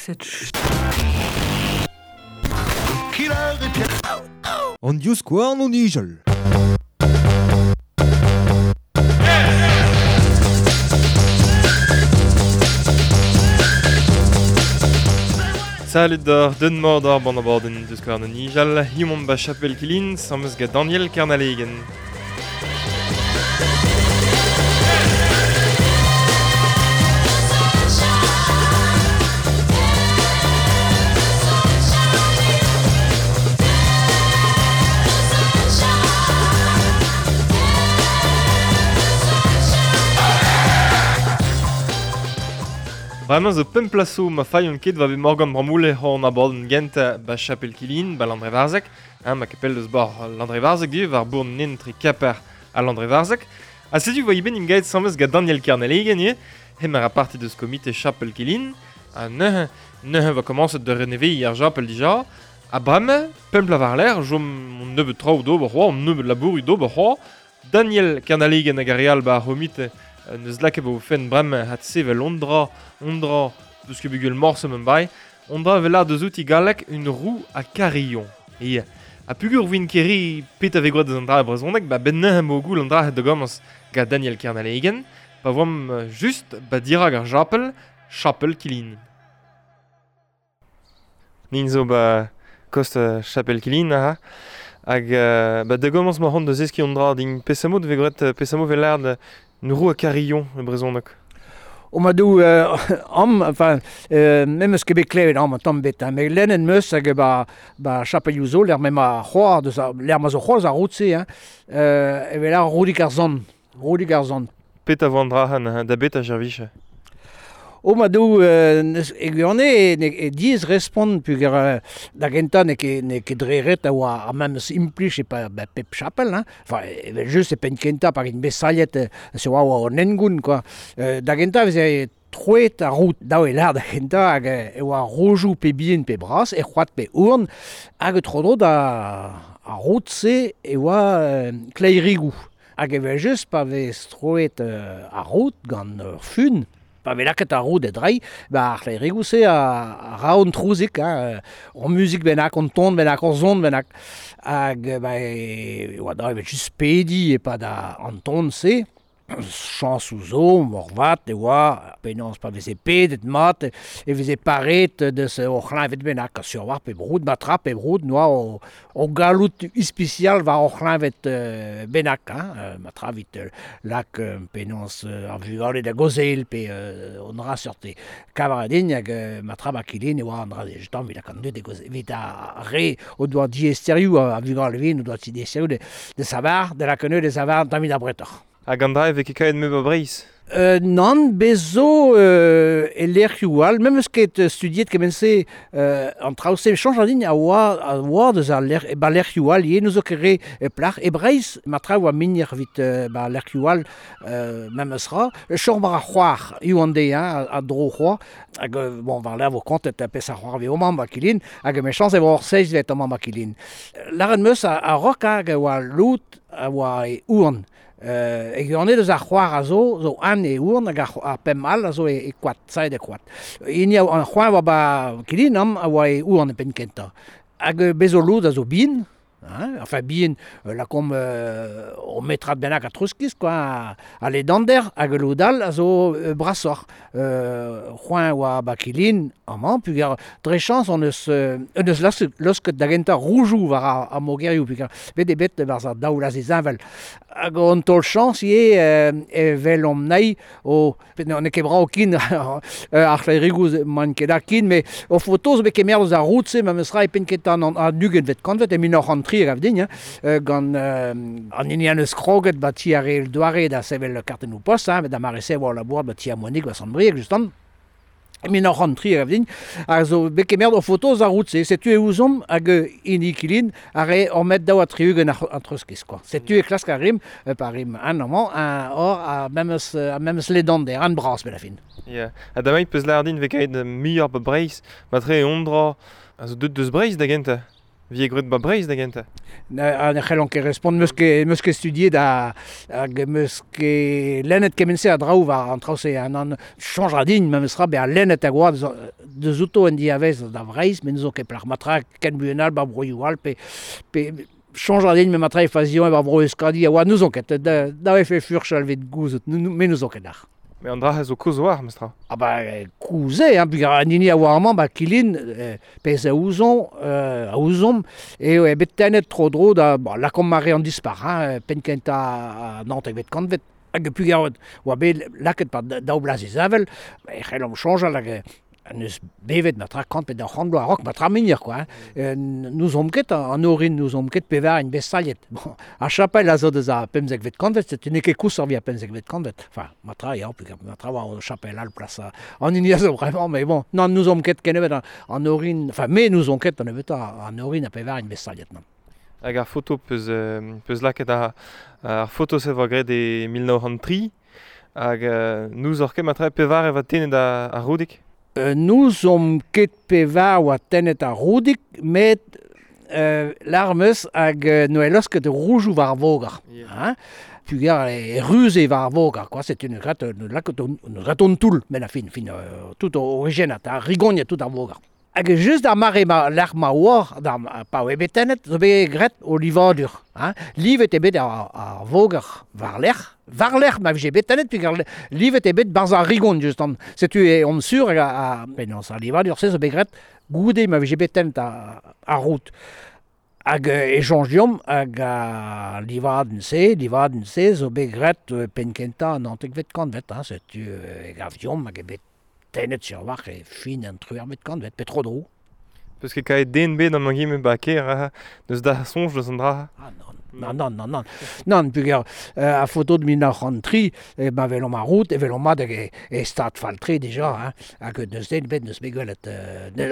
Cette An divskouarn o nijal. Salut d'or, den mordor ban aborden deus kar an nijal, himon ba Chapel Kilin, sammeus gant Daniel Kernalegen. Bremañ zo pemp plaso ma failhon ket va bet Morgan Bramoulle hon aborden gent ba Chapel Kilin, ba Landrevarzeg, hein, ma kepel deus bor Landrevarzeg du, war bourn nen tre Kaper a Landrevarzeg. Ha setu voa iben im gaet sammeus gant Daniel Kernalegen ye, hem ar a parti deus komite Chapel Kilin, ha neuze, neuze va komañset de reneveilh ar Chapel dija, ha bremañ, pemp la war l'air, jom on nebeut traoù d'ober c'hoa, on nebeut labour d'ober c'hoa, Daniel Kernalegen hag ar real ba ar c'homite neus lakaet vo fen bremañ hat sevel ondra, ondra, deus ket bugel morse men bai, ondra vel ar deus outi gallek une roue à carillon. E a pugur vin keri pet a ve gwad deus an dra e brezhoneg, ba ben neuze mo goul an dra het da gomañs gant Daniel Kernalegen, pa voam just ba dirag ar japel, Chapel Kilin. Nin zo ba kost Chapel Kilin aha, hag ba da gomañs ma c'hont deus eski an dra din pesamo de ve gwad pesamo vel ar Une roue à carillon, e brezhoneg. O ma dou am, enfin, mem eus ket bet klevet am an tamm bet, hein, met lennet meus hag ba, ba chapelioù zo, l'er mem a c'hoar deus a, l'er ma zo c'hoaz ar route-se, hein, evel ar roudik ar zon, roudik ar zon. Pet a vo an dra han, da bet a jervich. O ma dou neus e gwirionez e, ne, e diez respont puger da gentañ n'eo ket, n'eo ket dre ret a oa ar memes implij e pa ba, pep chapel, hein. Enfin, evel just e penn kentañ pa int bet sailhet se oa oa an hengoun, quoi. Da gentañ e veze troet ar rout daou e lar da gentañ hag e oa rojoù pe bihan pe bras, e c'hoad pe ourn, hag tro-dro da ar rout-se e oa kleirigoù. Hag evel just pa vez troet ar rout gant ur fun, pa vez lakaet ar roud e drei, ba ar c'hlerigoù-se a ra an trouzik, hein, ur muzik bennak, an ton bennak, ur zon bennak. Hag ba, e oa da evel just pedi e-pad an ton-se, chañsoù zo, morvat e oa, penaos pa veze pedet mat, e veze paret deus o c'hleñved bennak, sur war pe broud, matra pe broud, noa o, o galout ispisial war o c'hleñved bennak, hein, matra vit lak penaos ar vugale da gozel pe on ra seurt kavaradin hag matra ba kilin e oa an dra justement vit lak an dud e gozel, vit ar re o doa diesterioù a vugale vin, o doa diesterioù de savar, de la de savar tamit ar bretoc'h. Hag an dra e vez ket kaet meur a Breizh? Nann, bez zo e lec'hioù all, mem eus ket studiet kement-se an traoù-se, chañj a din a oa deus ar lec'h, ba lec'hioù all, ivez, n'eus ket re plac'h. E Breizh, ma traoù a migner evit ba lec'hioù all mem eus ra. Chom ar c'hoar, eo an deiz, hein, a dro c'hoar, hag bon, war ler vo kontet pes ar c'hoar veo mamm ba kilin, hag me chañs e vo ur seizhvet amañ ba kilin. Lâret meus a rok hag a oa lout a oa e ouan. E gwirionez deus ar c'hoar a zo, zo an e ourn hag ar pemp all a zo e koad, saet e koad. Hini an c'hoar oa ba kilin am a oa e ourn e penn kentañ. Hag bez zo lod a zo bihan, hein, enfin bihan, lakomp o metrad bennak a trouskiz, quoi, a ledander, hag lod all a zo brasoc'h. C'hoant oa ba kilin amañ, puger dre chañs on eus, on eus laosket da gentañ roujoù war ar mogerioù, puger bet eo bet barzh ar daoulaz heñvel. Hag an taol chañs ivez evel omp naï o n'eo ket brav kin ar c'hlerigoù man ket da kin, met o foto zo bet kemer eus ar rout-se ma meus ra e penn kentañ an ugentvet kantved e 1903 gav din, hein, gant an hini an eus kroget ba ti ar re doare da sevel kartennoù post, hein, da mare se oa labour ba ti ar Monig ba Sant-Brieg, justement. 1903 gav din, a zo bet kemer o foto eus ar rout-se. Setu e ouzomp hag hini kilin a re ur met daou ha tri-ugent an treuzkiz, quoi. Setu e klask ar rim, pa rim an amañ, an or a memes, a memes ledander, an bras bet a fin. Yeah. Ha damai peus lâr din vez kaet muioc'h ba Breizh, matre e ondra a zo deut deus Breizh da gentañ. vie graet ba Breizh da gentañ. Ne c'hellon ket respont, meus ket studiet hag meus ket lennet kement-se a draoù war an traoù-se. An chañj a din, memes tra, bezañ lennet hag oa deus outo en diavez da Vreizh, met n'eus ket plac'h matra ken buan all ba broioù all, pe chañj a din me matra e fazion e ba bro Euskadi a oa n'ouzon ket, da vefe furchal evit gouzout, me n'ouzon ket ar. Mais an dra zo koz war, mestra. Ah ba, koz eo, hein, peogwir an hini a oa amañ, ba Kilin, pezh a ouzon, a ouzomp, eo bet tennet tro-dro da, bon, lakaomp mare an dispac'h, hein, penn kentañ naontekvet kantved. Hag peogwir oa bet lakaet pa daou bloaz e e c'hellomp soñjal hag neus bevet ma tra kant pe daou c'hant bloaz a-raok ma tra migner, quoi. Hein. N'ouzomp ket an orin, n'ouzomp ket pevar int bet staliet. Bon, ar chapel a zo deus ar pemzekvet kantved, setu n'eo ket koulz ar pemzekvet kantved. Enfin, ma tra, ya, ma tra war chapel all plas an hini a zo vraiment, mais bon, non, n'ouzomp ket kennebeut an orin, enfin, me n'ouzon ket an nebeutañ an orin a pevar int bet staliet, non. Hag ar foto peus lakaet ar foto-se voa graet e 1903, hag n'ouzoc'h ket ma tra pevar e va tennet ar roudig? N'ouzomp ket pevar oa tennet ar roudig, met l'armeus hag noe laosket roujoù war ar voger. Yeah. Hein? Pugar e ruze war ar voger, quoi. C'est une gratte, une gratte toull, mais la fin, tout origine, ar rigogne tout ar voger. Hag just ar mare ma lec'h ma oa, d'ar pa oa bet tennet, zo bet graet o livadur. Hein? Livet eo bet ar voger war-lerc'h. War-lerc'h ma vije bet tennet, peogwir livet eo bet barzh ar rigon, just an. Setu e on sur hag a penaos ar livadur se zo bet graet goude ma vije bet tennet ar rout. Hag e soñj deomp hag a livadenn-se zo bet graet penn kentañ an naontekvet kantved. Hein? Setu e gav deomp hag eo bet tennet sur war e fin an triwec'hvet kantved, pe tro-dro. Peus ket kaet den bet an angime ba kêr, deus da soñj deus an dra. Ah non, non, non, non, non. Non, peogwir a foto de 1903, ma velomp ar rout, e velomp mat hag e stad fall-tre déjà, hein, hag neus den bet neus bet gwelet,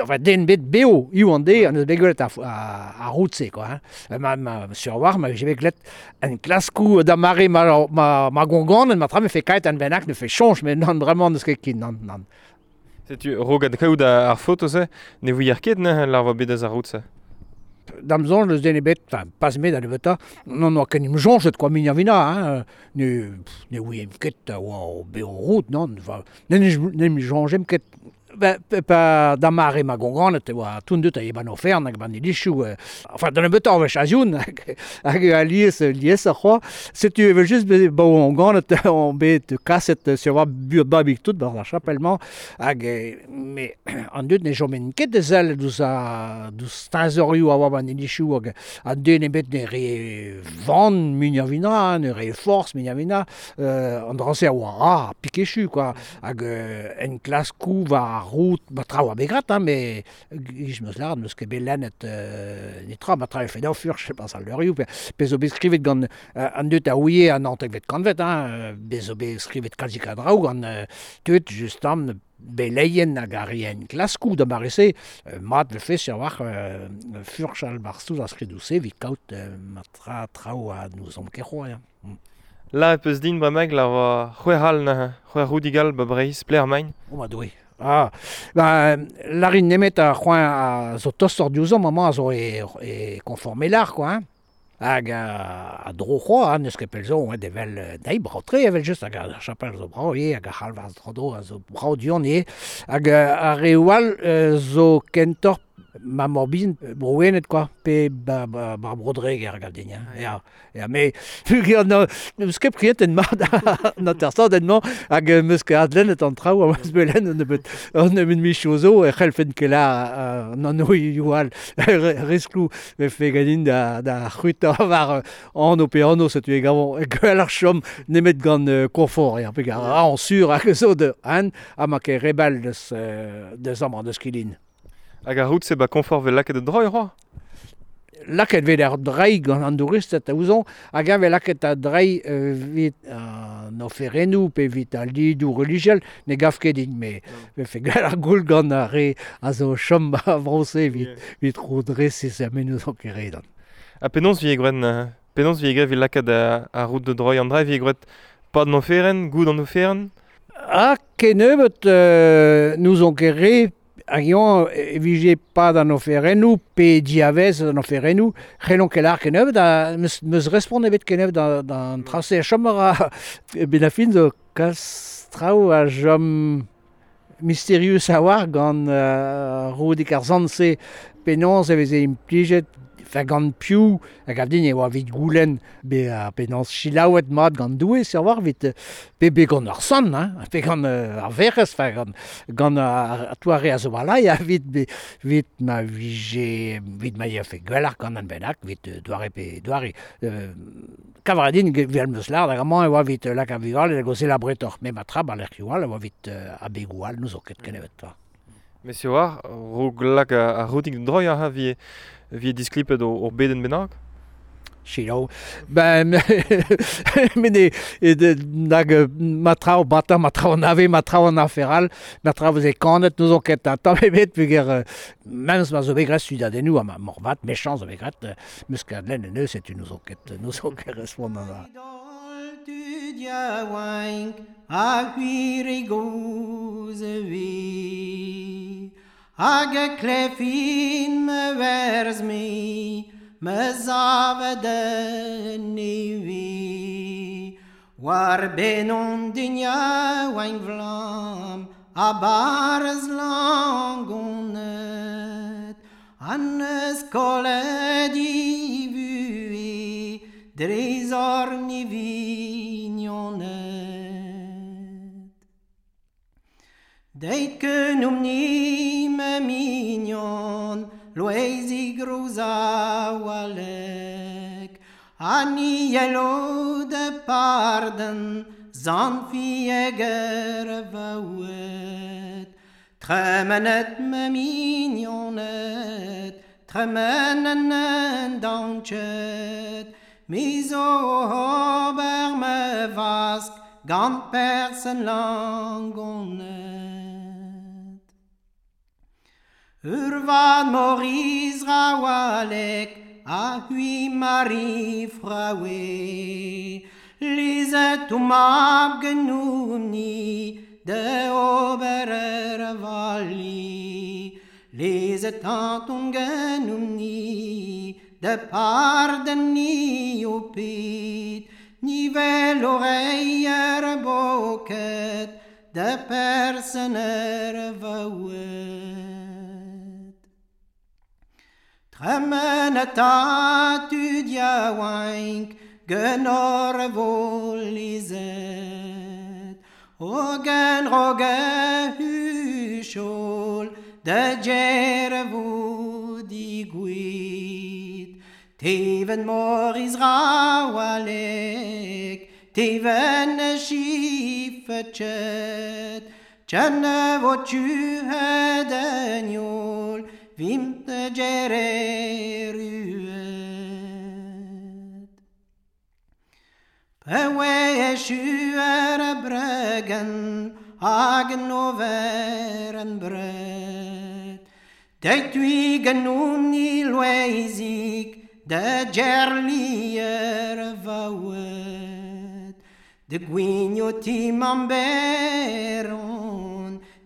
enfin, den bet beo, iv an de, neus bet gwelet ar rout-se, quoi, hein. Ma sur war, ma vije bet gwelet en klaskou da mare ma gonganen, ma tra me fe kaet an bennak, ne fe soñj, mais non, vraiment, neus ket kin, non, non. Setu rogad kaout ar foto-se, ne vouier ket neuze lar oa bet eus ar rout-se? Da'm soñj neus den ebet, enfin, pas me da nebeutañ, non oa ken im soñjet, quoi, min vina, hein, ne ouiem ket oa o beo rout, non, enfin, ne em soñjem ket. Pa da mare ma gonganet e oa tout deut a eban ofern hag ban ilichoù, enfin, da nebeutañ wech azioun, hag alies ar c'hoa, setu evel just ba on ganet on bet kaset sur war buot babig tout bar ar chapellement, hag me an deut ne jomen ket de sell deus a deus teñzorioù a oa ban ilichoù hag an den ebet ne re van muiañ vina, ne re forz muiañ vina, an dra-se a oa ra pikechu, quoi, hag en klaskou war ar rout, ba traoù a bet graet, hein, mais ich meus lâret, meus ket bet lennet netra, ma traoù fet furch, pas al leurioù, pe zo bet skrivet gant an deut a ouie an naontekvet kantved, hein, bet zo bet skrivet kalzik a draoù gant tud, just am, beleien hag ar rien klaskou da mare-se, mat vefe sur war furch al barsouz ar skridoù-se evit kaout ma traoù a n'ouzomp ket c'hoazh, hein. La peus din bremañ la oa c'hwec'h all neuze, c'hwec'h roudig all ba Breizh, pler main. Oh ma doue. Ah, ba, larin nemet ar c'hoant a zo tostoc'h diouzhomp amañ a zo e konforme lar, quoi, hein. Hag a dro c'hoa, hein, n'eus ket pell zo, hein, evel dei brav-tre evel just, hag ar chapel zo brav ivez, hag ar c'halvarz tro-dro a zo brav du-hont ivez. Hag ar reoù all zo kentoc'h ma morbin brouenet, quoi, pe ba Bro-Dreger hag din, hein. Ya, ya, mais peogwir n'eus ket priet en mat an atersadenn-mañ hag meus ket adlennet an traoù a meus bet lennet an nebeut michoù zo e c'hellfen ket la an anv all riskloù vefe ganin da c'hwitañ war anv pe anv setu e gavon gwell ar chom nemet gant konfort, ya, peogwir an sur hag zo de an ha ma ket rebel deus amañ deus Kilin. Hag ar rout-se ba konfort vel lakaet da droi, c'hoa? Lakaet vet ar drei gant an douristed a ouzon, hag eñ vel lakaet a drei evit an oferennoù pe evit al lidoù relijiel, ne gav ket din, me vefe gwell ar goul gant ar re a zo chom a vro-se evit rodresis ha me n'ouzon ket re dan. Ha penaos vi graet, penaos vi graet evit lakaet ar rout de droi an drei, vi graet pad an oferenn, goud an oferenn? Ha kennebeut n'ouzon ket re. Hag eo e vije pa d'an oferennoù, pe diavez d'an oferennoù, c'hellon ket lâr kennebeut, da meus respont ebet kennebeut d'an trase a chom a ben a fin zo kalz traoù a chom mysterius a war gant Roudig ar sant-se penaos e veze implijet enfin gant piv hag a din e oa evit goulenn be penaos selaouet mat gant Doue sur war evit pe gant ar sant hein, pe gant ar verc'hez enfin gant gant ar toare a zo walai evit evit ma vije evit ma yafe gwelloc'h gant an bennak evit doare pe doare kavar din vel meus lâr hag amañ e oa evit lak ar vugale da gaozeal abretoc'h met ma tra ba lec'hioù all e oa evit abegoù all n'ouzo ket kennebeut 'ta. Monsieur war, raok lak ar routig droiñ ha vi disklipet ur bedenn bennak? Selaou. Ben, met nag ma traoù batañ, ma traoù an ave, ma traoù an afer all, ma traoù veze kanet n'ouzon ket tamm ebet peogwir memes ma zo bet graet studiadennoù ha ma morvat mechañs zo bet graet meus ket lenn en eus setu n'ouzon ket respont an dra. Tud yaouank a gwir e goz e vi Hag e klefin me werz me me zavet en vi War benon din yaouank vlam a barz langonet An eus kollet i vue dre zorn i vignonet. Deit kenomp ni me mignon, loeizi groz a walek, ha ni yelo de parden, zant fieger vaouet. Tremenet me mignonet, tremenen en danchet, Mi zo ober me vask gant persen langonet. Ur vad Maurice Rawalek a hui Marie Fraoue. Lizet o mab genoumni de ober er vali. Lizet anton genoumni de parden ni o pit, ni vel o reier boket, de persen er vaouet. Tremenet a tud yaouank genor vo lizet, Hogen roge huchol de djer vo digouit. Teven Maurice Rawalek, teven chifetchet, tchenne vo tuhet en yol, vim te djereruet. Pewe echuer bregen, hag en bret. Deit ui genoun ni loeizik, de djerlier vaouet. De gwigno ti mamberon,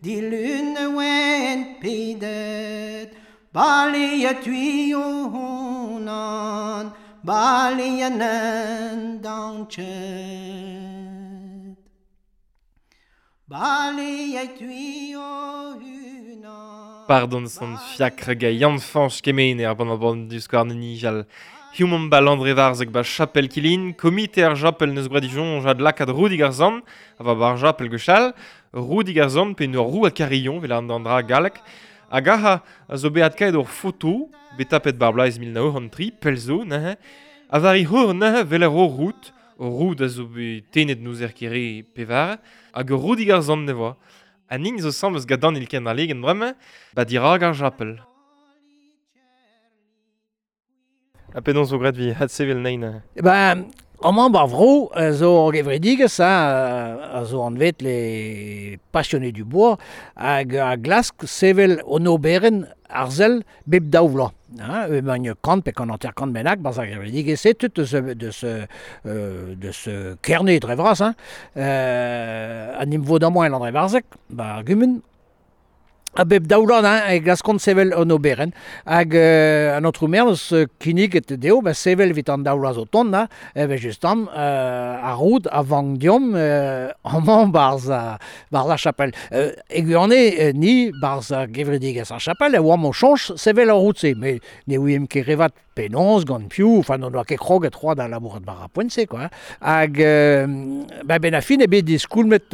di lune wen pedet, bali e tui o honan, bali en en danchet. Bali e tui o hunan. Pardon son fiacre ga Yann Fañch Kemene ar ban an du skouarn nijal. Human ba Landrevarzeg ba Chapel Kilin, komite ar Japel neus gwad dijon jad lakad Roudig ar zan, a va bar Japel gwechall, Roudig ar zan pe nour rou a Carillon, vel an dra galek, hag aha a zo beat kaet ur foto, betapet bar blaiz 1903, pelzo, nehe, a vari hor nehe vel ar ur rout, ur rout a zo bet tenet nouz er kere pevar, hag ur Roudig ar zan nevoa. An ning zo sam eus gadan il ken ar legen bremañ, ba dirag ar Japel. A penaos zo graet vi had sevel nein. Ben, amañ bar vro zo ur gevredigezh a zo anvet les passionnés du bois hag a glask sevel an oberenn arzel bep daou vloaz. Hein, emañ kant pe kant hanter kant bennak barzh ar gevredigezh-se tout de ce Kerne dre vras, hein. An im vo d'amañ en Landrevarzeg, ba ar gumun. A bep daoulan, hein, e glaskont sevel an oberen. Hag an aotrou maer eus kinnig et deo, ba sevel evit an daoula zo tont, ha, ebe justam, ar roud a vank diom, amañ barz a chapel. E gwirionez, ni, barz a gevredigezh ar chapel, e oamp o soñj sevel ar roud-se, met ne ouiemp ket revat penaos gant piv, enfin n'on doa ket kroget c'hoazh da labourat war ar poent-se, quoi. Hag ba ben a fin eo bet diskoulmet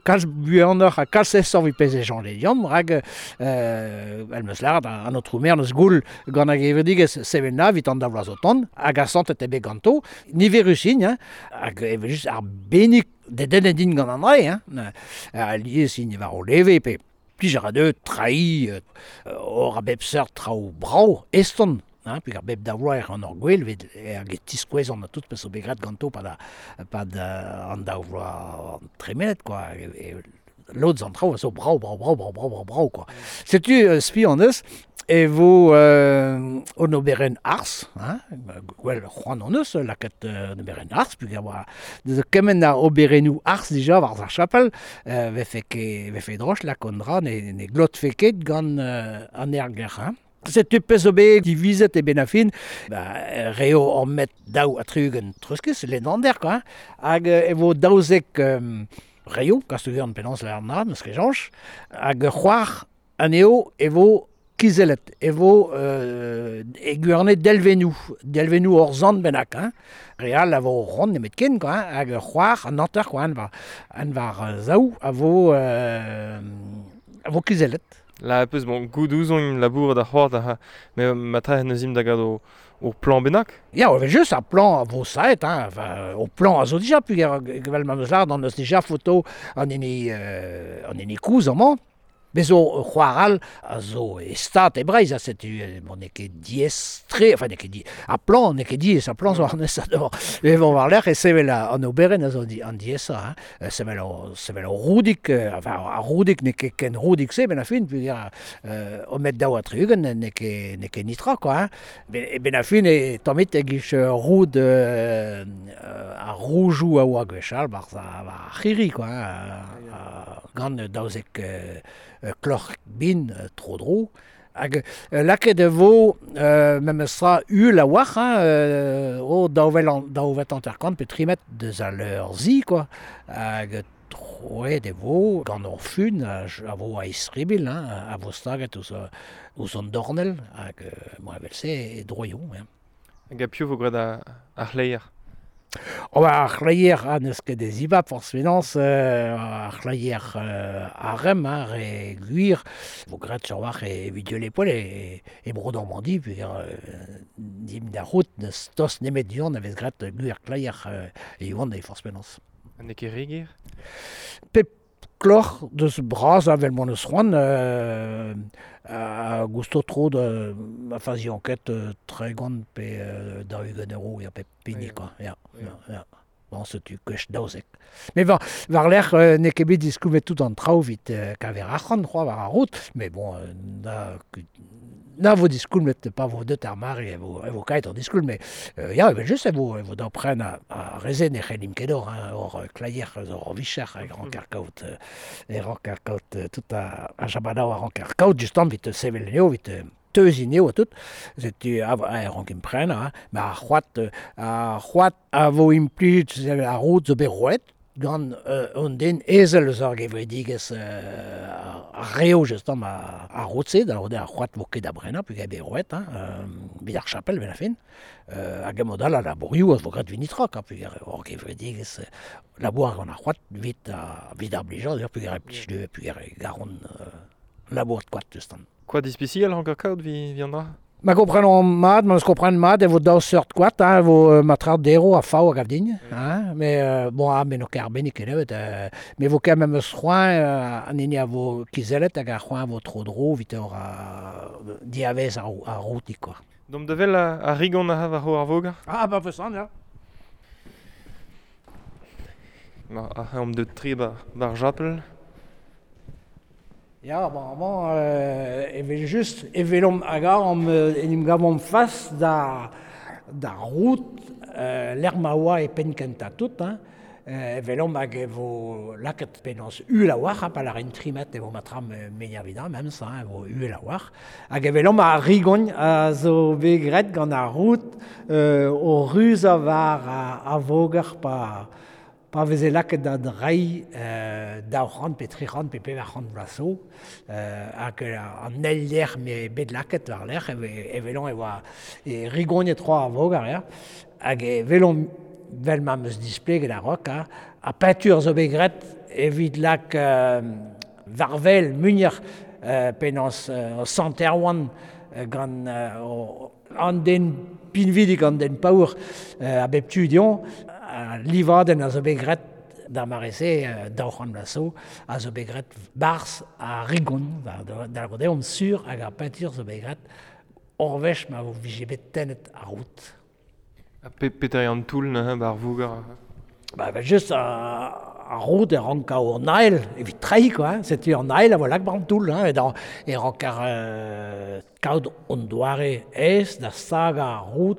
kalz buanoc'h ha kalz aesoc'h evit pezh e soñje deomp, rak el meus lâret an aotrou maer neus goul gant ar gevredigezh sevel na evit an daou vloaz o tont, hag asantet eo bet ganto, niverus int, hein, hag evel-just arbennik dedennet int gant an dra, hein, alies int war o leve pe plij a ra dezho treiñ hor a bep seurt traoù brav, eston, hein, peogwir bep daou vloaz ec'h an hor gwel evit hag e tiskouezont ha tout pezh zo bet graet ganto pad an daou vloaz tremenet, quoi. Lod eus an traoù a zo brav, brav, brav, brav, brav, brav, brav, quoi. Setu spi hon eus e vo un oberenn arz, hein, gwell c'hoant hon eus lakaat un oberenn arz, peogwir oa deus kement a oberennoù arz dija war ar chapel, vefe ket vefe droch lakaat an dra ne glotfe ket gant an aergelc'h, hein. Setu pezh zo bet divizet e benn ar fin, ba reo ur metr 32 treuzkas, lennander, quoi, hein, hag e vo 12 reoù, kastoù penaos lâret mat, n'eus ket soñj, hag ur c'hoar anezho e vo kizellet, e vo e gwirionez delvennoù, delvennoù hor zant bennak, hein. Re all a vo ront nemetken, quoi, hein, hag ur c'hoar, an hanter, quoi, an war zaou a vo kizellet. La peus bon goût ouzon labourat ar c'hoar da met matre neus im da gad o plan bennak? Ya, evel just, ar plan a vo saet, hein, enfin, o plan a zo dija, peogwir evel ma meus lâret, an eus dija foto an hini koulz amañ. Bez zo c'hoar all a zo e stad e Breizh, ha setu bon, n'eo ket diaes-tre, enfin n'eo ket di... ar plan n'eo ket diaes, ar plan zo an aesañ d'ober. Met bon, war-lerc'h e sevel an oberenn a zo an diaesañ, hein. Sevel ur roudig, enfin ar roudig n'eo ket ken roudig-se benn ar fin, peogwir o metr 32 n'eo ket nitra, quoi, hein. Ben ar fin e tammit e-giz roud ar roujoù a oa gwechall war ar c'hirri, quoi, hein, gant 12 kloc'h bin tro-dro. Hag lakaet e vo memes tra uhel a-walc'h, hein, o daou vet hanter-kant pe tri metr deus al leur-zi, quoi. Hag troet e vo gant ur fun a vo a-istribilh, hein, a vo staget ouzh an dornell, hag bon, evel-se e droioù, hein. Hag a piv vo graet ar c'hleier? Oh, ba, ar c'hleier ha n'eus ket e zibab forzh penaos, ar c'hleier arem, hein, re gwir, vo graet sur war evit dieul e Bro-Normandi, peogwir dimp da c'hoût n'eus tost nemet du-hont a vez graet gwir kleier e oant e forzh penaos. Ha n'eo ket re ger? Pep kloc'h deus bras avel m'hon eus c'hoant a gousto tro da ma faziañ ket 30 pe 40 euro ya pep hini, quoi. Ya, ya, ya. Bon, setu gwech 12. Mais war-lerc'h n'eo ket bet diskoumet tout an traoù evit kaver arc'hant c'hoazh war ar rout, mais bon, na vo diskoulmet pa vo deut ar mare e vo kaet an diskoulm, mais ya, evel-just e vo da pren ar re-se ne c'hellimp ket ober, hein, hor kleier zo ur vicher e ranker kaout tout a jabadao a ranker kaout justement evit sevel anezho, evit teuziñ anezho ha tout. Setu a rank prenañ, hein. Ma ar c'hoad a vo implijet ar roud zo bet roet gant un den ezel eus ar gevredigezh ar reo justement ar roud-se, da lavaret eo ar c'hoad vo ket da brenañ peogwir eo bet roet, hein, evit ar chapel benn ar fin. Hag e-mod all al labourioù a vo graet evit netra, quoi, peogwir hor gevredigezh labour gant ar c'hoad evit ar blijadur, peogwir e plij dezho, peogwir e garont labourat koad justement. Koad ispisial ranker kaout vi an dra? Ma komprenomp mat, ma eus kompren mat, e vo daou seurt koad, hein, e vo matra dero ha fav hag avdin, hein, mais bon, ah, me n'o ket arbennik ket, me vo ket memes c'hoant an hini a vo kizellet hag ar c'hoant a vo tro-dro evit ur diavez ar routik, quoi. Domp da vel ar rigon a war ar voger? Ah, ba vesan, ya. Ma, ar omp deut tri bar japel. Ya, bon, amañ, evel-just, evelomp hag am en em gavomp fas da rout lec'h ma oa e penn kentañ tout, hein. Velomp hag e vo laket penaos uhel a-walc'h, pa lâren trimet e vo matram menia vida, memes, hein, e vo uhel a-walc'h. Hag e velomp ar rigogn a zo bet graet gant ar rout o ruzañ war ar voger pa veze laket da dreiñ 200 pe 300 pe 400 vloaz zo, hag an eil lec'h m'eo bet laket war-lerc'h, e velomp e oa e rigognet c'hoazh ar voger, ya. Hag e velomp vel ma 'm eus displeget a-raok, ha ar peñtur zo bet graet evit lak war-wel muioc'h penaos Sant Erwan gant an den pinvidik, an den paour a bep tu dezhañ, al livadenn a zo bet graet d'ar mare-se, 200 vloaz zo, a zo bet graet barzh ar rigon, da lavarout eo omp sur hag ar peñtur zo bet graet ur wech ma vije bet tennet ar rout. Ha petra eo an toull neuze 'ba ar voger? Ba evel-just ar roud e rank kaout an ael evit treiñ quoi, hein. Setu an ael a vo lak 'ba an toull, hein, e ranker kaout an doare aes da stagañ ar roud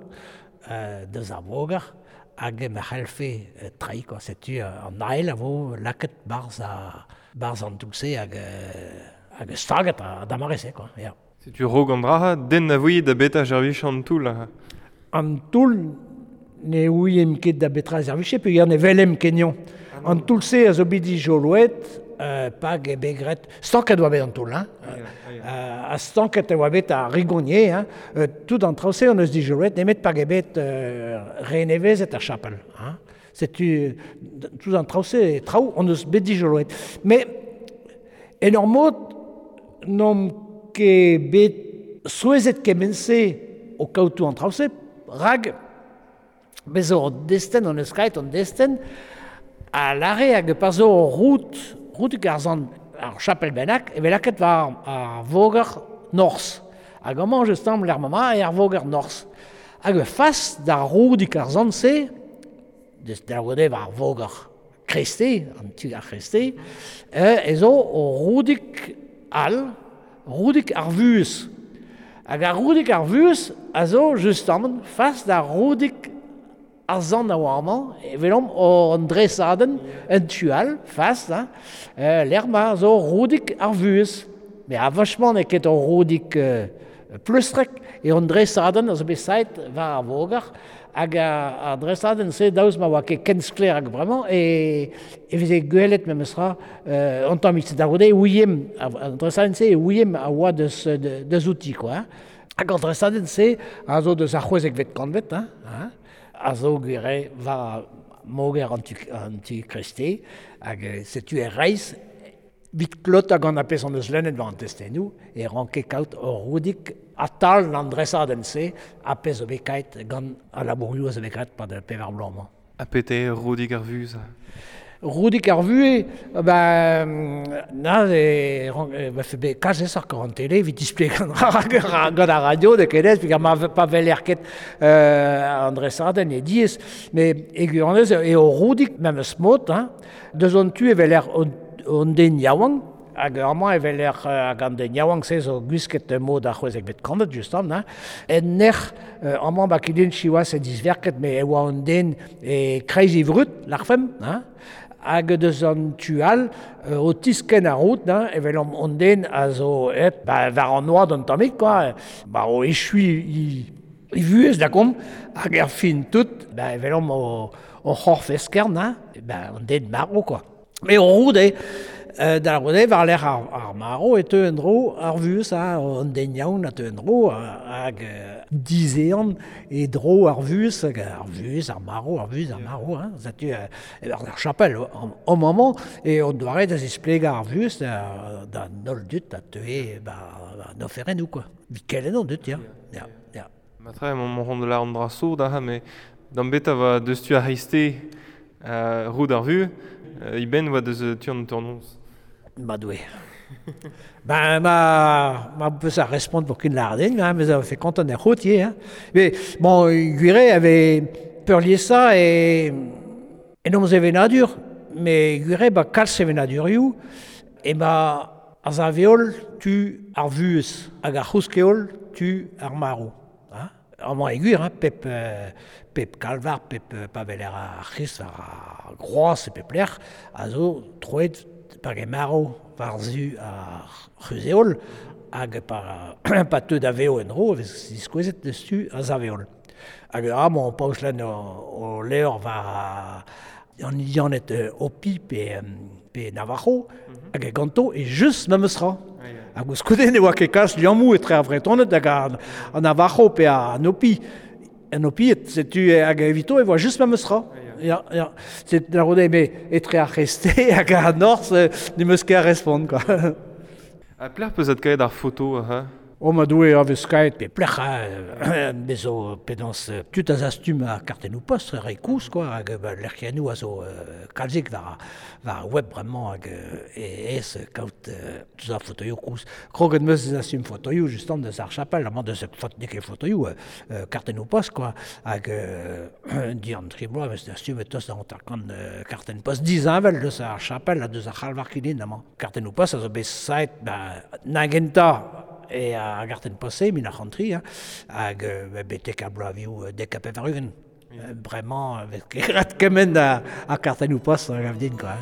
deus ar voger hag ma c'hellfe treiñ quoi. Setu an ael a vo lakaet 'barzh an toull-se hag staget d'ar mare-se quoi, ya. Setu raok an dra, den na voe da betra servij an toull. An toull ne ouiemp ket da betra servije peogwir ne welemp ket anezhañ. An toull-se a zo bet dijoloet pag eo bet graet. Stanket e oa bet an toull, hein. Ha stanket e oa bet ar rigonier, hein. Tout an traoù-se hon eus dijoloet nemet pag eo bet renevezet ar chapel, hein. Setu tout an traoù-se traoù hon eus bet dijoloet. Mais en ur mod n'omp ket bet souezhet kement-se o kaout tout an traoù-se, rak bez zo an destenn, hon eus kaet an destenn, a lâre hag pa zo rout, routig ar sant ar chapel bennak, e vez lakaet war ar voger norzh. Hag amañ just tamm lec'h ma eo ar voger norzh. Hag fas d'ar roudig ar sant-se, deus da goude war ar voger Kreste, an tu ar Kreste, e zo roudig all, roudig ar vuhez. Hag ar roudig ar vuhez a zo justamant fas d'ar roudig ar sant a oa amañ, e welomp an dresadenn en tu all, fas, hein, lec'h ma zo roudig ar vuhez. Mais a-vachement n'eo ket ur roudig pleustrek eo an dresadenn a zo bet saet war ar voger, hag ar dresadenn-se daoust ma oa ket ken sklaer hag bremañ, e veze gwelet memestra an tammig. Da goude e ouiemp, an dresadenn-se e ouiemp a oa deus outi, quoi. Hag an dresadenn-se a zo deus ar c'hwezekvet kantved, hein, a zo gwir war moger an tu Kreste, hag setu e reizh vit klotañ gant ar pezh hon eus lennet war an testennoù, e ranke kaout ur roudig a-tal an dresadenn-se, ar pezh zo bet kaet gant al labourioù a zo bet graet pad pevar bloaz-mañ. Ha pete eo roudig ar vuhez? Roudig ar vuhez, ben, na, e vefe bet kalz aesoc'h gant an tele evit displegañ gant ar radio, n'eo ket aes, peogwir ma pa weler ket an dresadenn eo diaes. Mais e gwirionez eo roudig memes mod, hein. Deus an tu e weler an den yaouank, hag amañ e weler hag an den yaouank-se zo gwisket mod ar c'hwezekvet kantved justement, hein. En nec'h, amañ ba Kilin siwazh e disverket, met e oa an den e kreiz e vrud, lârfemp, hein. Hag deus an tu all, o tiskenn ar rout, hein, evel an den a zo aet ba, war an oad un tammig, quoi, ba, o echuiñ e vuhez da gomp, hag er fin tout, ba, evel omp o c'horf eskern, hein, ba, an den marv, quoi. Mais o rout eo, da lavarout eo, war-lerc'h ar marv e teu en-dro ar vuhez, hein, an den yaouank a teu en-dro, hag dizehan e dro ar vuhez, hag ar vuhez, ar marv, ar vuhez, ar marv, hein, setu ar chapel o maman, e on doare da zisplegañ ar vuhez da holl dud a teue ba an oferennoù, quoi. Evit kelenn an dud, ya. Ya, ya. Matre, emañ mont da an dra sourd aze, met d'am beta va deus tu ar c'hreisteiz roud ar vuhez, e benn oa deus tu an hanternoz. Ma Doue. Ben, ma peus ar respont pour ken lâret din, hein, mais ça fait content er c'hout ivez, hein. Mais bon, gwir eo e vez peurliesañ e en hom sevenadur, met gwir eo ba kalz sevenadurioù emañ ar sav-heol tu ar vuhez hag ar c'housk-heol tu ar marv. Hein. Amañ e gwir, hein, pep kalvar, pep paveler ar c'hris war ar groaz e pep lec'h, a zo troet par e marv war zu ar c'huzeol, hag pa teu da veo en ro, vez diskouezet deus tu a zaveol. Hag amañ paoz len o levr war an Indianed Hopi pe Navajo, hag ganto e just memes ra. Hag ouzhkoude ne oa ket kalz liammoù etre ar Vretoned hag an Navajo pe an Hopi. An Hopi, setu hag evito e oa just memes ra. Ya, ya. C'est la rode me etre ar c'heste hag ar norzh ne meus ket a respont, quoi. Ha plec'h peus kaet ar foto, ha? O ma doue a vez kaet pe plec'h bezo penaos tud a zastum ar kartennoù post re koulz, quoi, hag lec'hiennoù a zo kalzik war ar web bremañ hag e ez kaout deus ar fotoioù koulz. Kroget meus zastum fotoioù justement deus ar chapel, amañ deus n'eo ket fotoioù kartennoù post, quoi, hag dian tri bloaz meus dastumet tost da 50 kartenn post disheñvel deus ar chapel ha deus ar c'halvar Kilin amañ. Kartennoù post a zo bet saet na gentañ e ar gartenn post-se, min ar c'hantri, hein, hag betek ar bloavioù dek ha pevar-ugent. Bremañ, vez ket ret kement a kartennoù post hag a din, quoi.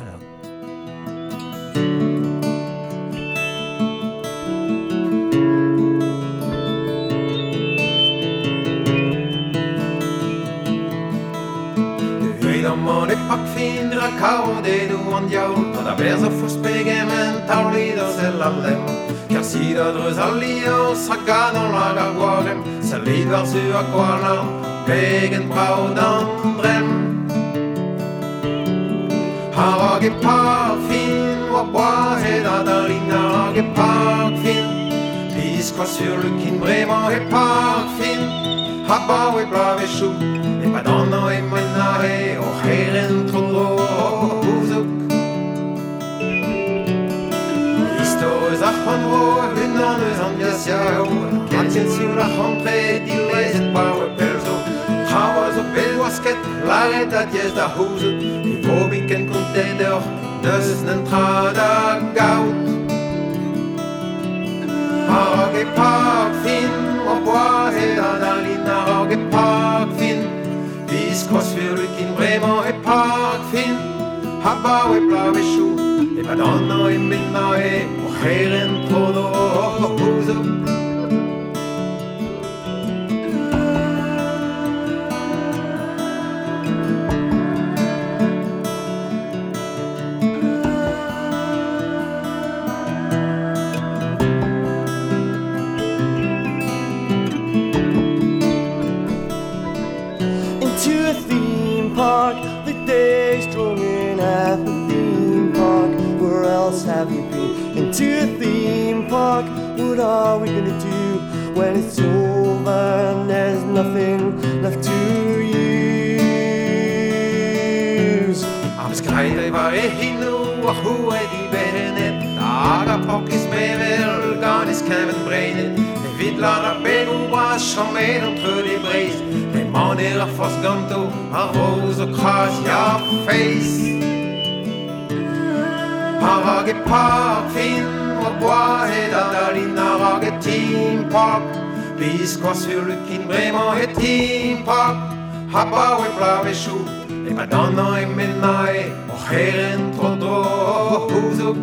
Amañ e pak fin ra kaodennoù an diaoul, gant a berz a forzh pegement taolit ur sell al lemm. Kersit a dreuz al liorzh hag an hag ar gwarem, sellit war-zu ha gwalarn, pegen brav d'an dremm. A-raok e pak fin oa boazet ha da lin a-raok e pak fin, biskoazh furlukin bremañ e pak fin, ha baoe bloavezhioù, e-pad an hañv emaint aze o c'herent tro-dro o gouzoug. Istor eus ar c'horn-bro unan eus an diasiaoù, kentien sioul ar c'hantre dilezet pa oa pell zo. Traoù a zo bet gwasket, lâret ha diaes da c'houzout, e vo biken kontet deoc'h, n'eus netra da gaout. A-raok e pak fin, oa boazet ha da lin a-raok e pak fin, biskoazh furlukin bremañ e pak fin, ha baoe bloavezhioù, e-pad an hañv emaint aze o c'herent tro-dro o gouzoug. Into a theme park, the day's drawing at the theme park. Where else have you been? Into a theme park, what are we gonna do when it's over and there's nothing left to use? Ar skraet war e hinoù ar c'houred iberenet, hag ar porkez mevel gant e skeñven breinet, evit lâr ar bennoù bras chomet an treud e Breizh, emañ ar forzh ganto ar roz o kras ya feiz. A-raok e pak fin oa boazet ha da lin a-raok e theme park, biskoazh furlukin bremañ e theme park, ha baoe bloavezhioù, e-pad an hañv emaint aze o c'herent tro-dro o c'houzoug.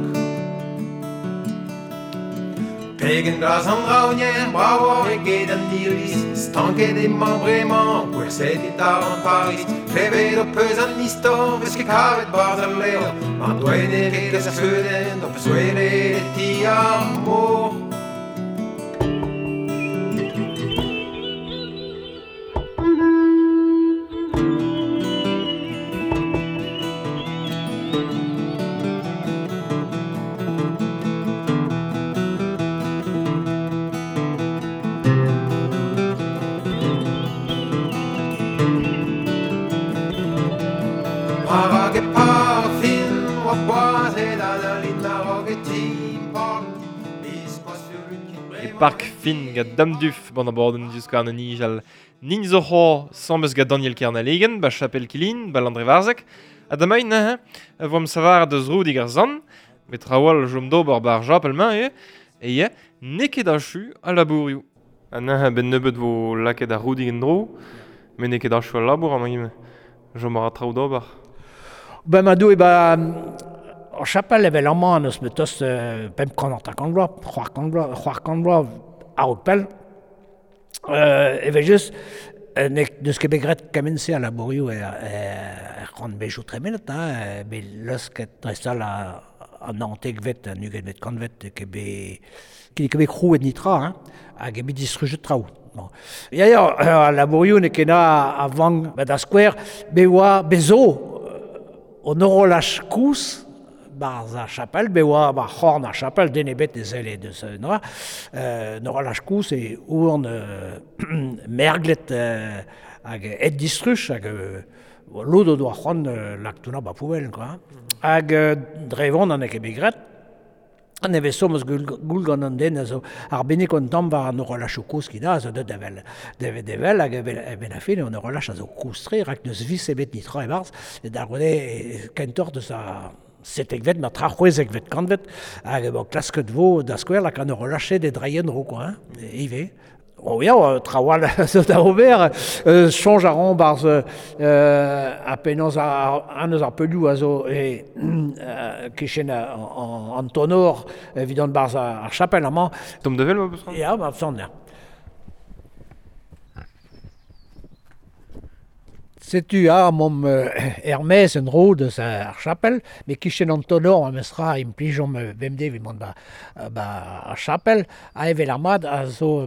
Pegen glas an draoñienn, bravoc'h eget an iliz, stanket emañ bremañ, gwerzhet eo da an Pariz, klevet ho peus an istor, vez ket kavet barzh al levr, mar doa ne ket ar skeudenn, ho peus gwelet e ti ar mor. A-raok e pak fin oa boazet ha da lin a-raok e theme park, biskoazh furlukin E park fin gant Damduf ban abadenn diouzh an nijal. Nin zo c'ho sambeus gant Daniel Kernalegen, ba Chapel Kilin, ba Landrevarzeg, ha damain neuze, voam savar deus roudig ar zan, met trawal jom d'ober bar japel mañ e, e n'eo ket achu a labourioù. Ha neuze ben nebeut vo lakaet ar roudig en-dro, met n'eo ket achu al labour amañ ivez. Chom a ra traoù d'ober. Ben ma doue ba ar chapel evel amañ n'eus bet tost 550 vloaz, 600 vloaz a-raok pell. Evel just, n'eus ket bet graet kement-se a labourioù er c'hantvedoù tremenet, hein, bet leusket dreist-holl an naontekvet, an ugentvet kantved, ket bet krouet nitra, hein, hag eo bet distrujet traoù. Bon. Ya, ya, al labourioù n'eo ket na a vank, ba da skouer, bet oa, bet zo, an horolaj koulz, barz ar chapel, bet oa ba c'horn ar chapel, den ebet ne selle deus un dra. An horolaj koulz e oan merglet hag et distruj, hag lod o doa c'hoant laktouna ba poubel, quoi. Hag dre vont an eo ket bet graet. An nevez so meus goul gant an den a zo arbennik an tamm war an horolajoù kozh ki da, a zo deut evel, devet evel, hag evel a fin, an horolaj a zo kozh-tre, rak n'eus vis ebet nitra e-barzh, e d'ar goude kentoc'h deus a setekvet, ma tra c'hwezekvet kantved, hag bon, klasket vo da skouer lak an horolaj de draien ro, quoi, hein, ivez. Oh ya, traoù all zo da ober, soñj a ran barzh a penaos an eus ar peulioù a zo e kichen an tonor evit an barzh ar chapel amañ. Tom devel, ma peus c'hoant? Ya, ma peus ya. Setu a mom er-maez en dro deus ar chapel, met kichen an tonor ma mestra implijomp bemdez evit mont ba ar chapel, a evel ar mat a zo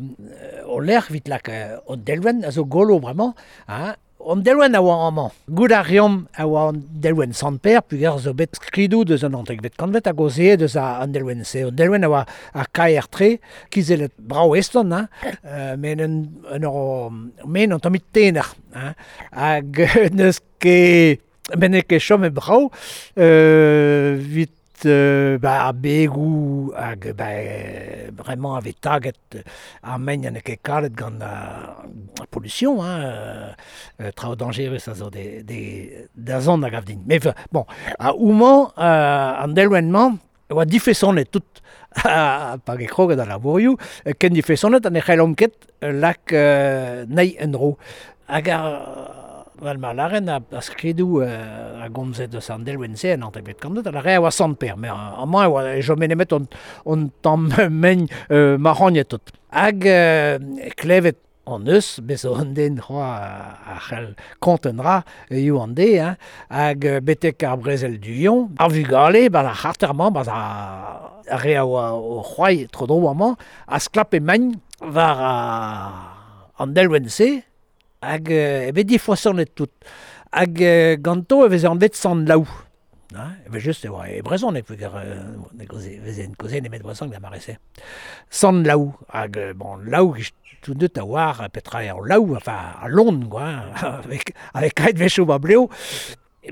o lec'h evit lak an delwenn a zo golo bremañ, hein. An delwenn a oa amañ. Gout a reomp a oa an delwenn Sant-Pêr, peogwir zo bet skridoù deus an naontekvet kantved hag o se deus an delwenn-se. An delwenn a oa ar kaer-tre, kizellet brav eston, hein, met un ur men an tammig tener, hein. Hag n'eus ket, met n'eo ket chomet brav, evit ba ar begoù hag ba bremañ a vez taget ar mein n'eo ket kalet gant ar pollution, hein, traoù dañjerus a zo da zont a gav din. Mais bon, a houmañ an delwenn-mañ e oa difesonet tout pa ge kroget al labourioù, ken difesonet ha ne c'hellomp ket lak nei en-dro. Hag ar Vel ma laren a skridoù a gomzet eus an delwenn-se en naontekvet kantved, a lare a oa Sant-Pêr, met amañ e oa e chome nemet on tamm mein marc'hagnet tout. Hag klevet an eus, bez zo an den c'hoa a c'hell kont un dra, eo an de, hein, hag betek ar brezel du Yon, ar vugale, ba ar c'harter-mañ, ba ar re a oa o c'hoai tro-dro amañ, a sklape mein war an delwenn-se, hag e bet difoasonet tout. Hag ganto e veze anvet Sant Laou. Hein, evel just e oa e brezhoneg, peogwir ne veze kaoze nemet brezhoneg da mare-se. Sant Laou, hag bon, Laou tout deut a oar petra eo Laou, enfin, a lon, quoi, avec kaet wechoù ba bleo.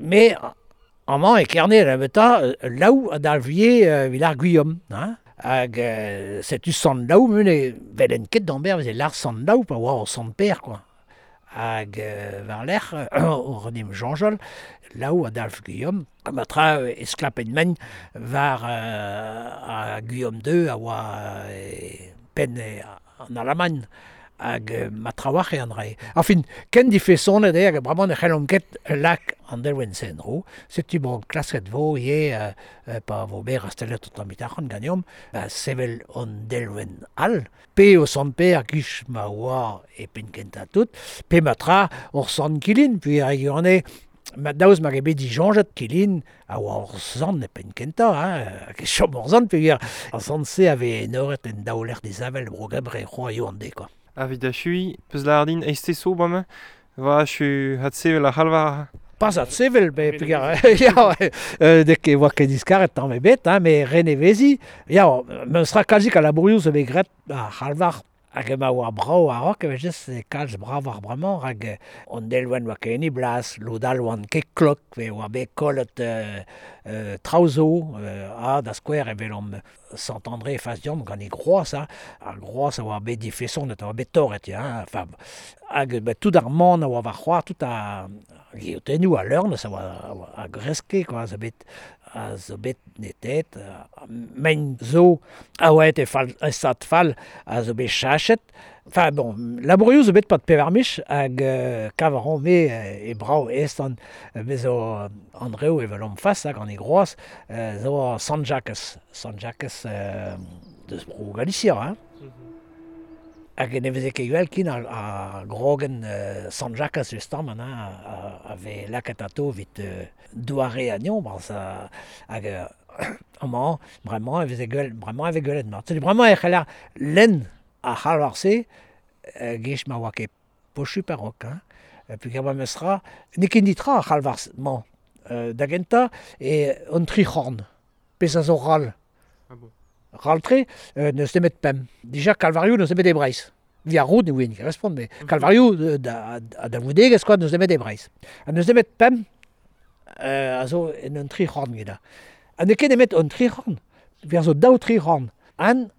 Mais amañ e Kerne la beta, Laou a dalvie evit ar Guillaume, hein. Hag setu Sant Laou, mune velen ket d'amber veze lar Sant Laou, pa oa o Sant Pêr, quoi. Hag war-lerc'h o renim Jean-Jol, Laou a dalv Guillaume, ma tra e sklapen men war a Guillaume II a oa penn an Alamagn hag ma trawalc'h eo an dra. Enfin, ken difesonet eo hag bremañ ne c'hellomp ket lak an delwenn-se en-dro. Setu bon klasket vo ivez pa vo bet rastellet an tamm arc'hant ganeomp, ba sevel an delwenn all, pe o Sant-Pêr giz ma oa e penn kentañ tout, pe ma tra hor Sant Kilin, puis ar regione, ma daoust ma eo bet disoñjet Kilin a oa hor sant e penn kentañ, hein, hag e chom hor sant, peogwir ar sant-se a vez enoret en daou lec'h disheñvel bro Gembre c'hoa eo an de, quoi. Evit achuiñ, peus lâret din eizhtez so bremañ, va achu adsevel ar c'halvar. Pas adsevel, bet peogwir ya, dek e oa ket diskaret tamm ebet, hein, met renevezi, ya, meus ra kalzik a labourioù zo bet graet ar c'halvar. Hag ema oa brav a-raok, evel just e kalz brav ar bremañ, rak an delwenn oa ket en e blas, lod all oant ket klok, pe oa bet kollet traoù zo, ha da skouer evel omp Sant-André e fas deomp gant e groaz, hein, ar groaz a oa bet difesonet, a oa bet torret, ya, hein, enfin, hag ba, tout ar man a oa war c'hoar, tout ar geotennoù a leurn, a oa a greske, quoi, a zo bet netet, mein zo a oa et e fall, e stad fall, a zo bet chachet, Enfin, bon, labourioù zo bet pat pevar mich hag kav a ran me e brao est an me zo Andreu evel am fas hag an e groaz zo Sant Jacques. Sant Jacques deus bro Galicia, hein. Hag ne veze ket gwell kin a grogen Sant Jacques justement, hein, a ve lakaet ato vit doare anion, barz hag amañ, bremañ e veze gwell, bremañ e vez gwelet mat. Setu bremañ e c'heller lenn ar c'halvar-se gech ma oa ket pochu parok, hein. Peogwir ma meus ra, n'eo ket nitra ar c'halvar-mañ da gentañ e an tri c'horn, pezh a zo ral. Ah bon. Ral-tre, n'eus nemet pemp. Dija kalvarioù n'eus nemet e Breizh. Via roud ne ouien ket respont, mais kalvarioù da voudegezh quoi n'eus nemet e Breizh. Ha n'eus nemet pemp a zo en un tri c'horn geda. Ha n'eo ket nemet un tri c'horn, ver zo daou tri c'horn. An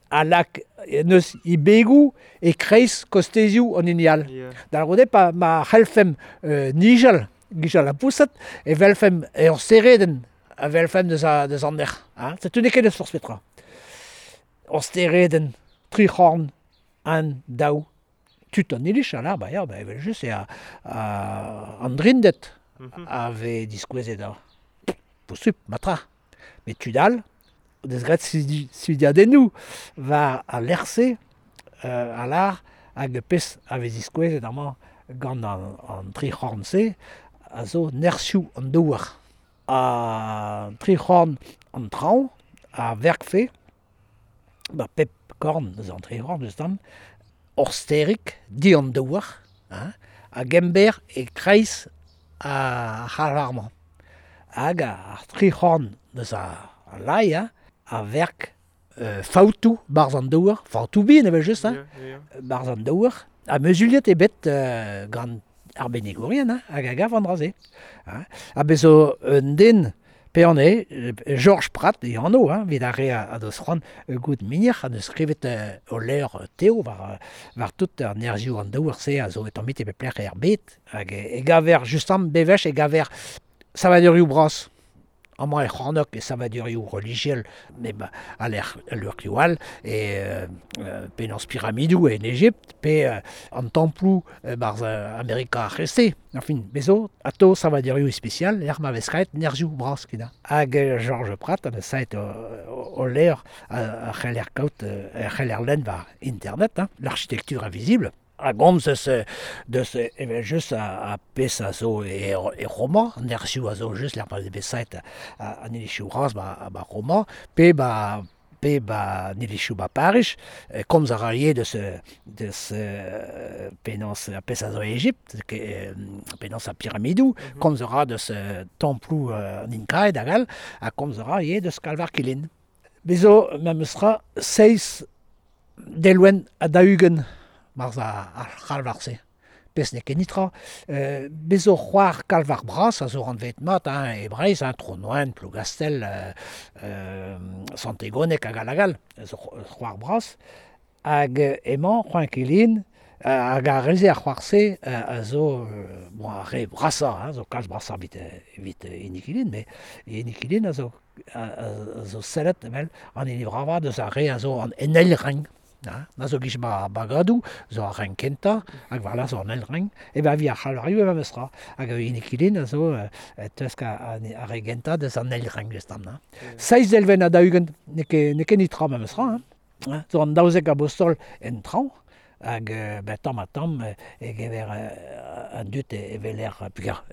a lak n'eus ibegoù e kreiz kostezioù an hini all. Yeah. Da lavarout eo pa ma c'hellfemp nijal, gijal ha pousat, e welfemp ur steredenn a welfemp deus an nec'h. Hein? Setu n'eo ket eus forzh petra. Ur steredenn, tri c'horn, an, daou, tud an iliz, ala, ba ya, ba evel just eo an drinded a vez diskouezet da posupl, matra. Met tud all, o deus graet studiadennoù war al lec'h-se, a lar hag pezh a vez diskouezet amañ gant an tri c'horn-se a zo nerzhioù an douar. An tri c'horn an traoñ a verkfe, ba pep korn eus an tri c'horn justement, ur sterig di an douar, hein, hag ember e-kreiz ar c'halvar-mañ. Hag ar tri c'horn eus ar lai, hein, a verk faoutoù barzh an douar, faoutoù bihan evel-just, hein, barzh an douar, ha muzuliet eo bet gant arbennigourien, hein, hag a gav an dra-se. Hein. Ha bez zo un den pe an eo, Georges Prat e anv, hein, evit ar re a deus c'hoant goût migner, a deus skrivet o levr Teo war tout an nerzhioù an douar-se a zo e tamm e pep lec'h er bed, hag e gaver justement bewech e gaver savadurioù bras. Amañ e c'hornok e savadurioù relijiel, met a lec'h lec'hioù all, e penaos piramidoù en Egipt, pe an temploù barzh Amerika ar C'hreste. Enfin, bez zo, atao savadurioù ispisial, lec'h ma vez graet nerzhioù bras kina. Hag Georges Prat a deus saet o levr a c'heller kaout, a c'heller lenn war internet, hein, l'architecture invisible. A gomz eus deus evel just a pezh a zo e Roma, an nerzhioù a zo just lec'h ma vez bet saet an ilizioù bras ba Roma, pe ba an ilizioù ba Pariz, komz a ra ivez deus penaos a pezh a zo e Egipt, penaos ar piramidoù, komz a ra deus temploù an Inkaed hag all, ha komz a ra ivez deus kalvar Kilin. Bez zo memes tra seizh delwenn ha daou-ugent marz ar c'halvar-se. Pezh n'eo ket nitra. Bez zo c'hoar kalvar bras a zo anvet mat, hein, e Breizh, hein, Tronoen, Plougastel, Sant-Egoneg hag all hag all, zo c'hoar bras. Hag emañ c'hoant Kilin, hag ar re-se ar c'hoar-se a zo bon, ar re brasañ, hein, zo kalz brasañ evit hini Kilin, met hini Kilin a zo sellet evel an hini bravañ deus ar re a zo an eil renk. Na zo giz ba bagadoù, zo ar renk kentañ, hag war zo an eil renk, e ba vi ar c'halvarioù e memes tra. Hag hini Kilin a zo teusk ar re gentañ deus an eil renk justement. Hein. Seizh delwenn ha daou-ugent, n'eo ket nitra memes tra. Hein. Zo an daouzek abostol en traoñ, hag ben, tamm ha tamm e gever an dud e weler peogwir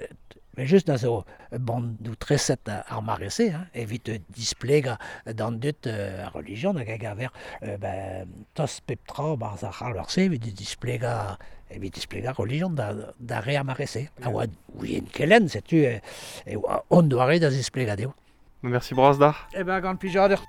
mais just na zo bandoù treset ar mare-se, hein, evit displegañ d'an dud ar relijion hag a gaver ben, tost pep tra barzh ar c'halvar-se evit displegañ relijion da re ar mare-se. A oa ouien kelenn, setu e oa on doare da zisplegañ dezho. Merci bras d'ac'h. Eh ben, gant plijadur.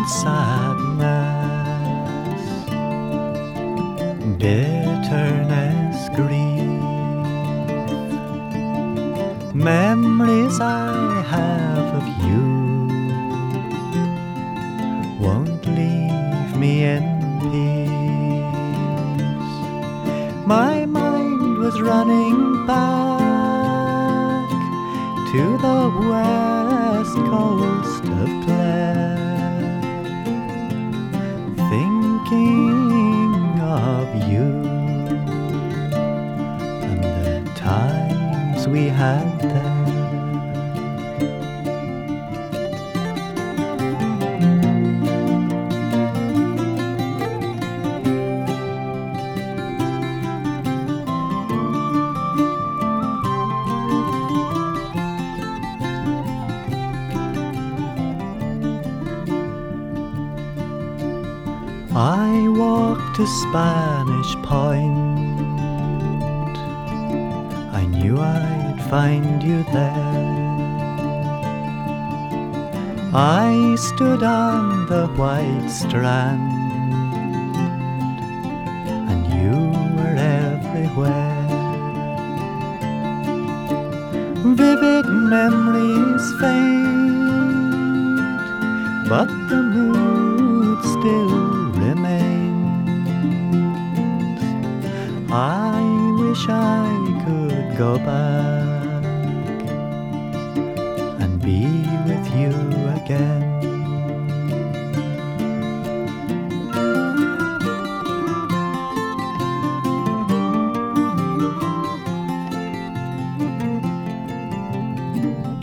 and sadness, bitterness, grief. Memories I have of you won't leave me in peace. My mind was running back to the west coast of Clare, thinking of you and the times we had there. I walked to Spanish Point. I knew I'd find you there. I stood on the white strand, and you were everywhere. Vivid memories fade, but the mood still remains. I wish I could go back and be with you again.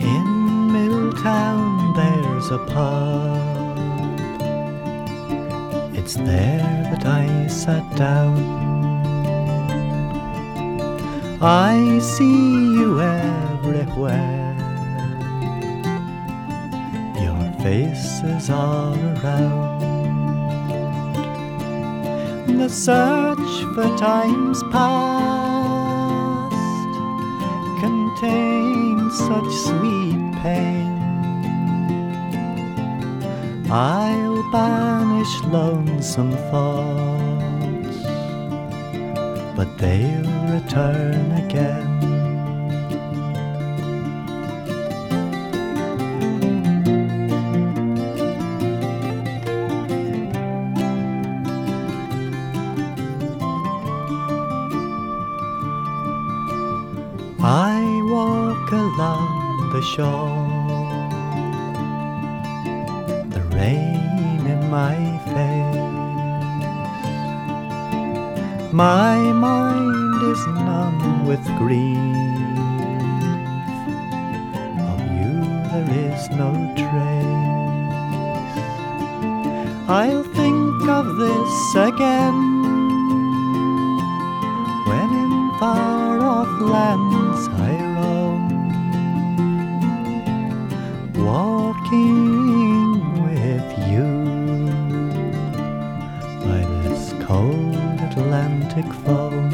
In Milltown there's a pub. It's there that I sat down. I see you everywhere. Your face is all around. The search for times past contains such sweet pain. I'll banish lonesome thoughts, but they'll return again. I walk along the shore, the rain in my face. My mind is numb with grief. Of you there is no trace. I'll think of this again when in far off lands I roam, walking with you by this cold Atlantic foam.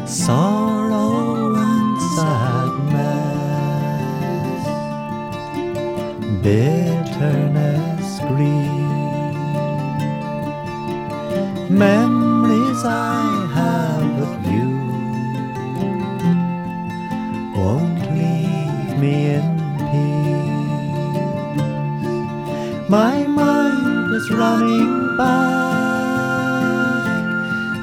Sorrow and sadness, bitterness, grief, memories I have of you won't leave me in peace. My mind is running back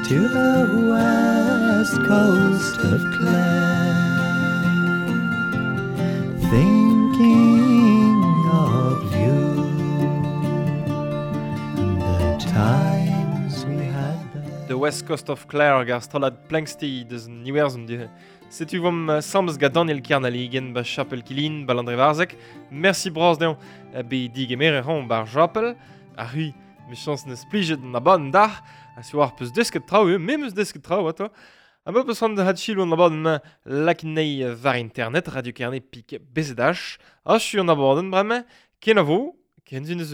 to the west coast of Clare, thinking of you and the times we had there. The West Coast of Clare hag ar strollad Planxty deus an Iwerzhon du. Setu vom samz gant Daniel Kernaligen ba Chapel Kilin ba Landrevarzek. Merci bras dezhañ be digemere ran bar Chapel. Ar hui, me chans neus plijet an abadenn d'ar. A sur ar peus desket traoù eo, me meus desket traoù ato. A me peus ran da hatchil an abadenn lakinei var internet, Radio Kerne pik BZH. A chu an abadenn bremañ, kenavo, ken zun eus.